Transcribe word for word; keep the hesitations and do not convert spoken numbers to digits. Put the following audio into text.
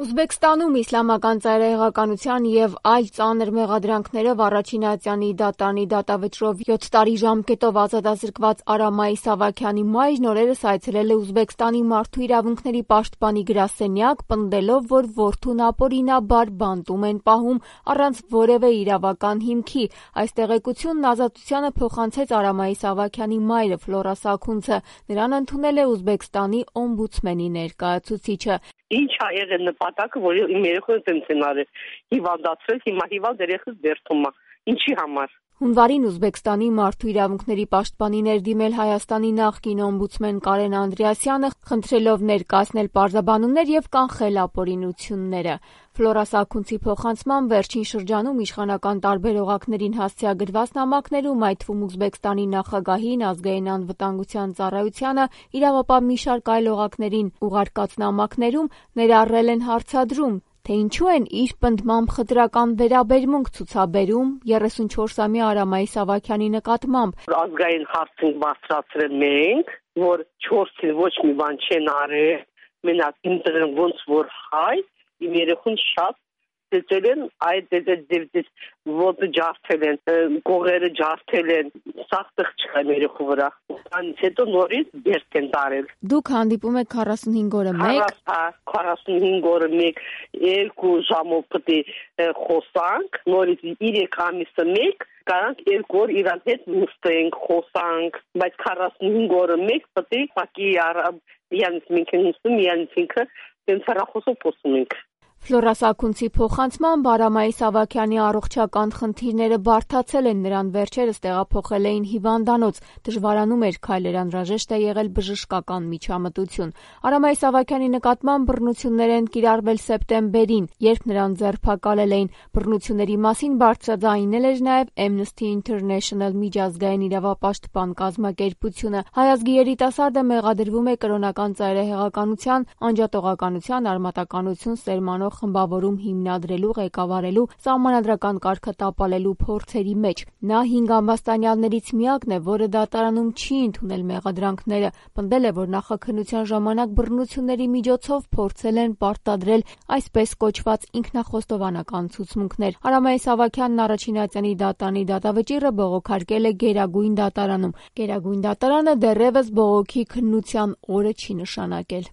Ուզբեկստանում իսլամական ծայրահեղականության և այլ ծանր մեղադրանքներով առաջին ատյանի դատարանի դատավճռով յոթ տարի ժամկետով ազատազրկված Արամ Իսահակյանի մայրն օրերս այցելել է Ուզբեկստանի մարդու իրավունքների պաշտպանի գրասենյակ, պնդելով, որ որդուն ապօրինաբար բանտում են պահում առանց որևէ իրավական հիմքի։ Այս տեղեկությունն Ազատությանը փոխանցեց Արամ Իսահակյանի մայրը Ֆլորա Սաքունցը։ Նրան ընդունել է Ուզբեկստանի օմբուդսմենի ներկայացուցիչը։ Ինչ ա եղել նպատակը, որ իմ երեխան տենց են արել, հիվանդացրել, հիմա հիվանդ երեխաս բերդում ա, ինչի համար։ Հունվարին Ուզբեկստանի մարդու իրավունքների պաշտպանի ներդիմել Հայաստանի նախկին օմբուդսմեն Կարեն Անդրեասյանը, խնդրելով ներկայացնել պարզաբանումներ և կանխել ապօրինությունները։ Ֆլորա Սաքունցի փոխանցմամբ վերջին շրջանում իշխանական տարբեր օղակներին հասցեագրված նամակներում, այդ թվում Ուզբեկստանի նախագահին, ազգային անվտանգության ծառայությանը, իրավապահ մի շարք այլ օղակներին ուղարկած նամակներում ներառել են հարցադրում, թե ինչու են իր պնդմամբ խտրական վերաբերմունք ցուցաբերում երեսունչորսամյա Արամ Իսահակյանի նկատմամբ։ Ազգային հարց ենք բարձրացրել մենք, որ չորսին ոչ մի բան չեն արել, մենակ ինտերն ոնց որ հայ, իմ երեխուն շատ ծեծել են, այդ ոտը ջարդել են, կողերը ջարդել են, սաղ տեղ չկա երեխու վրա։ Անից հետո նորից բերդ են տարել։ Դուք հանդիպում եք քառասունհինգ օրը մեկ։ քառասունհինգ օրը մեկ, երկու ժամով պետք է խոսանք, նորից երեք ամիսը մեկ, կարանք երկու օր իրան հետ նստենք, խոսանք, բայց քառասունհինգ օրը մեկ պետք է պակի արամ, յանից մենք ենք նստում, յանից ինքը տենց հեռախոսով խոսում ենք։ Ֆլորա Սաքունցի փոխանցմամբ Արամ Իսահակյանի առողջական խնդիրները բարդացել են, նրան վերջերս տեղափոխել էին հիվանդանոց, դժվարանում էր քայլել, անհրաժեշտ է եղել բժշկական միջամտություն։ Արամ Իսահակյանի նկատմամբ բռնություններ են կիրառվել սեպտեմբերին, երբ նրան ձերբակալել էին։ Բռնությունների մասին բարձրաձայնել էր նաև Amnesty International միջազգային իրավապաշտպան կազմակերպությունը։ Հայ ազգի երիտասարդը մեղադրվում է կրոնական ծայրահեղականության, անջատողականության, արմատականություն սերմանող խմբավորում հիմնադրելու, ղեկավարելու, սահմանադրական կարգը տապալելու փորձերի մեջ։ Նա հինգ ամբաստանյալներից միակն է, որը դատարանում չի ընդունել մեղադրանքները, պնդել է, որ նախաքննության ժամանակ բռնությունների միջոցով փորձել են պարտադրել այսպես կոչված ինքնախոստովանական ցուցմունքներ։ Արամ Իսահակյանն առաջին ատյանի դատարանի դատավճիռը բողոքարկել է Գերագույն դատարանում։ Գերագույն դատարանը դեռևս բողոքի քննության օրը չի նշանակել։